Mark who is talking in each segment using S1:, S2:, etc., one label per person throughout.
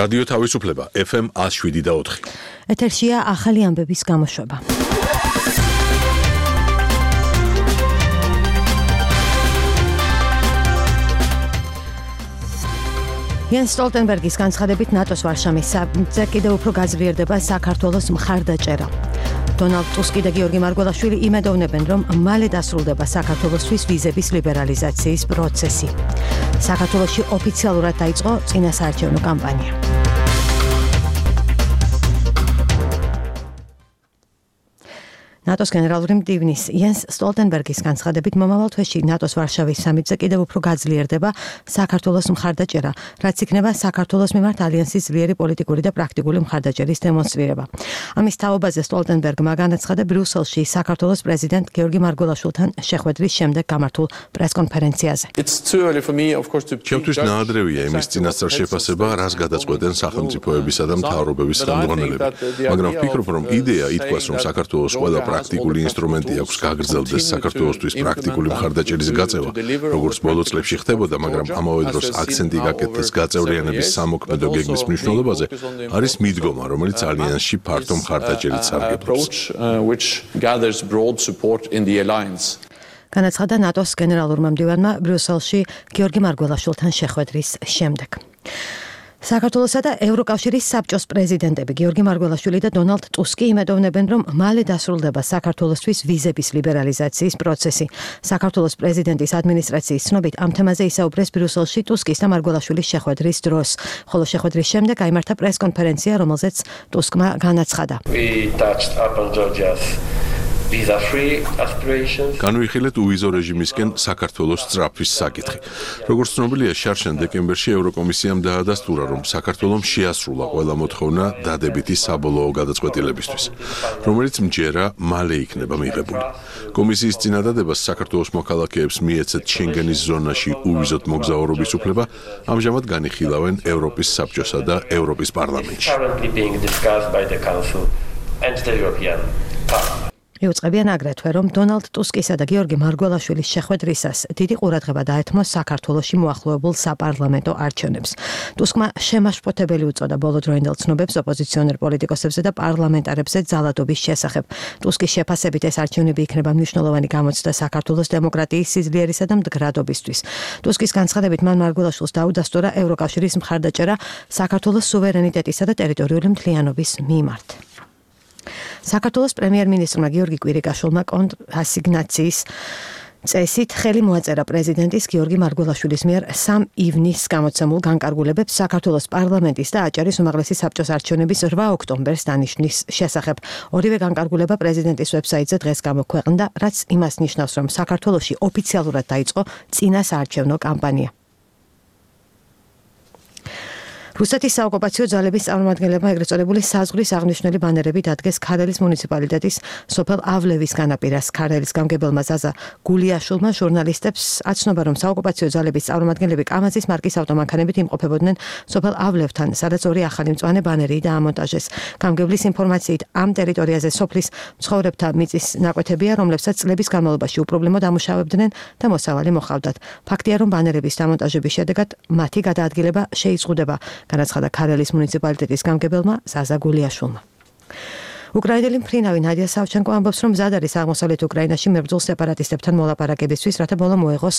S1: რადიო თავისუფლება FM 107.4.
S2: ეთერშია ახალი ამბების გამოშვება. Jens Stoltenbergis განცხადებით ნატოს ვარშავის სამიტზე კიდევ უფრო გაძლიერდება საქართველოს მხარდაჭერა. Donald Tusk და გიორგი მარგველაშვილი იმედოვნებენ, რომ მალე დასრულდება საქართველოსთვის ვიზების ლიბერალიზაციის პროცესი. საქართველოში ოფიციალურად დაიწყო წინასაარჩევნო კამპანია. ნატოს გენერალური მდივნის Jens Stoltenbergis განცხადებით მომავალ თვეში ნატოს ვარშავის სამიტზე კიდევ უფრო გაძლიერდება საქართველოს მხარდაჭერა, რაც იქნება საქართველოს მიმართ ალიანსის ძლიერი პოლიტიკური და პრაქტიკული მხარდაჭერის დემონსტრირება. ამის თაობაზე Stoltenbergმა განაცხადა ბრიუსელში საქართველოს პრეზიდენტ გიორგი მარგველაშვილთან შეხვედრის შემდეგ გამართულ პრესკონფერენციაზე.
S1: ჩემთვის ნაადრევია იმის წინასწარ შეფასება, რას გადაწყვეტენ სახელმწიფოებისა და მთავრობების ხელმძღვანელები, მაგრამ ვფიქრობ, რომ იდეა ითქვას, რომ საქართველოს ყველა პრაქტიკული ინსტრუმენტი აქვს გაგრძელდეს საქართველოსთვის პრაქტიკული მხარდაჭერის გაწევა, როგორც ბოლო წლებში ხდებოდა, მაგრამ ამავე დროს აქცენტი გაკეთდეს გაწევრიანების სამოქმედო გეგმის მნიშვნელობაზე, არის მიდგომა, რომელიც ალიანსში ფართო მხარდაჭერით სარგებლობს.
S2: განაცხადა ნატოს გენერალურმა მდივანმა ბრიუსელში გიორგი მარგველაშვილთან შეხვედრის შემდეგ. საქართველოსა და ევროკავშირის საბჭოს პრეზიდენტები გიორგი მარგველაშვილი და დონალდ ტუსკი იმედოვნებენ, რომ მალე დასრულდება საქართველოსთვის ვიზების ლიბერალიზაციის პროცესი. საქართველოს პრეზიდენტის ადმინისტრაციის ცნობით ამ თემაზე ისაუბრეს ბრიუსელში ტუსკის და მარგველაშვილის შეხვედრის დროს, ხოლო შეხვედრის შემდეგ გაიმართა პრესკონფერენცია, რომელზეც ტუსკმა განაცხადა.
S1: განვიხილეთ უვიზო რეჟიმისკენ საქართველოს სწრაფვის საკითხი. როგორც ცნობილია, შარშან დეკემბერში ევროკომისიამ დაადასტურა, რომ საქართველომ შეასრულა ყველა მოთხოვნა დადებითი საბოლოო გადაწყვეტილებისთვის, რომელიც მჯერა მალე იქნება მიღებული. კომისიის წინადადებას საქართველოს მოქალაქეებს მიეცეთ შენგენის ზონაში უვიზოდ მოგზაურობის უფლება, ამჟამად განიხილავენ ევროპის საბჭოსა და ევროპის პარლამენტში.
S2: მიუწყებიან აგრეთვე, რომ დონალდ ტუსკისა და გიორგი მარგველაშვილის შეხვედრისას დიდი ყურადღება დაეთმო საქართველოში მოახლოებულ საპარლამენტო არჩევნებს. ტუსკმა შემაშფოთებელი უწოდა ბოლოდროინდელ ცნობებს ოპოზიციონერ პოლიტიკოსებზე და პარლამენტარებზე ძალადობის შესახებ. ტუსკის შეფასებით ეს არჩევნები იქნება მნიშვნელოვანი გამოცდა საქართველოს დემოკრატიის სიძლიერისა და მდგრადობისთვის. ტუსკის განცხადებით მან მარგველაშვილს დაუდასტურა ევროკავშირის მხარდაჭერა საქართველოს სუვერენიტეტისა და ტერიტორიული მთლიანობის მიმართ. საქართველოს პრემიერ-მინისტრმა გიორგი კვირიკაშვილმა ასიგნაციის წესით ხელი მოაწერა პრეზიდენტის გიორგი მარგველაშვილის მიერ 3 ივნისს გამოცემულ განკარგულებებს საქართველოს პარლამენტის და აჭარის უმაღლესი საბჭოს არჩევნების 8 ოქტომბერს დანიშნვის შესახებ. ორივე განკარგულება პრეზიდენტის ვებსაიტზე დღეს გამოქვეყნდა, რაც იმას ნიშნავს, რომ საქართველოში ოფიციალურად დაიწყო წინასაარჩევნო კამპანია. რუსეთის საოკუპაციო ძალების წარმომადგენლებმა ეგრეთ წოდებული საზღვრის აღნიშნული ბანერები დადგეს ქარელის მუნიციპალიტეტის სოფელავლევის განაპირას. ქარელის გამგებელმა ზაზა გულიაშვილმა ჟურნალისტებს აცნობა, რომ საოკუპაციო ძალების წარმომადგენლები კამაზის მარკის ავტომანქანებით იმყოფებოდნენ სოფელავლევთან, სადაც ორი ახალი მწვანე ბანერი დაამონტაჟეს. გამგებლის ინფორმაციით ამ ტერიტორიაზე სოფლის მცხოვრებთა მიწის ნაკვეთებია, რომლებსაც წლების განმავლობაში უპრობლემოდ ამუშავებდნენ და მოსავალი მოჰყავდათ. ფაქტია, რომ ბანერების დამონტაჟების შედეგად მათი გადაადგილება შეიზღუდება. განაცხადა ქარელის მუნიციპალიტეტის გამგებელმა ზაზა გულიაშვილმა. უკრაინელი მფრინავი ნადია სავჩენკო ამბობს, რომ მზად არის აღმოსავლეთ უკრაინაში მებრძოლ სეპარატისტებთან მოლაპარაკებისთვის, რათა ბოლო მოეღოს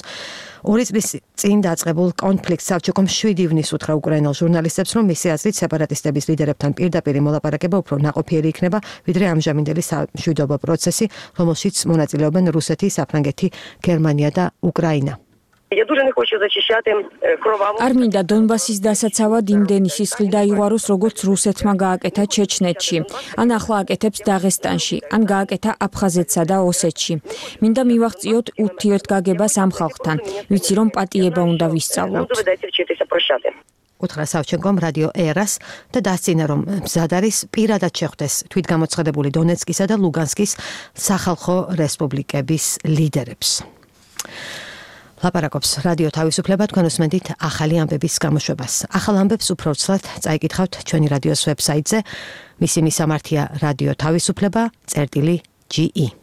S2: 2 წლის წინ დაწყებულ კონფლიქტს. სავჩენკომ 7 ივნისს უთხრა უკრაინელ ჟურნალისტებს, რომ მისი აზრით სეპარატისტების ლიდერებთან პირდაპირი მოლაპარაკება უფრო ნაყოფიერი იქნება, ვიდრე ამჟამინდელი სამშვიდობო პროცესი, რომელშიც მონაწილეობენ რუსეთი, საფრანგეთი, გერმანია და უკრაინა.
S3: არ მინდა დონბასის დასაცავად იმდენი სისხლი დაიღვაროს, როგორც რუსეთმა გააკეთა ჩეჩნეთში, ან ახლა აკეთებს დაღესტანში, ან გააკეთა აფხაზეთსა და ოსეთში. მინდა მივაღწიოთ ურთიერთგაგებას ამ ხალხთან, ვიცი რომ პატიება უნდა ვისწავლოთ.
S2: უთხრა სავჩენკომ რადიო ერას და დასცინა, რომ მზად არის პირადად შეხვდეს თვითგამოცხადებული დონეცკისა და ლუგანსკის სახალხო რესპუბლიკების ლიდერებს. ლაპარაკობს რადიო თავისუფლება, თქვენ უსმენთ ახალი ამბების გამოშვებას. ახალ ამბებს უფრო ცლად წაიკითხავთ ჩვენი რადიოს ვებსაიტზე. მისი მისამართია რადიო თავისუფლება.ge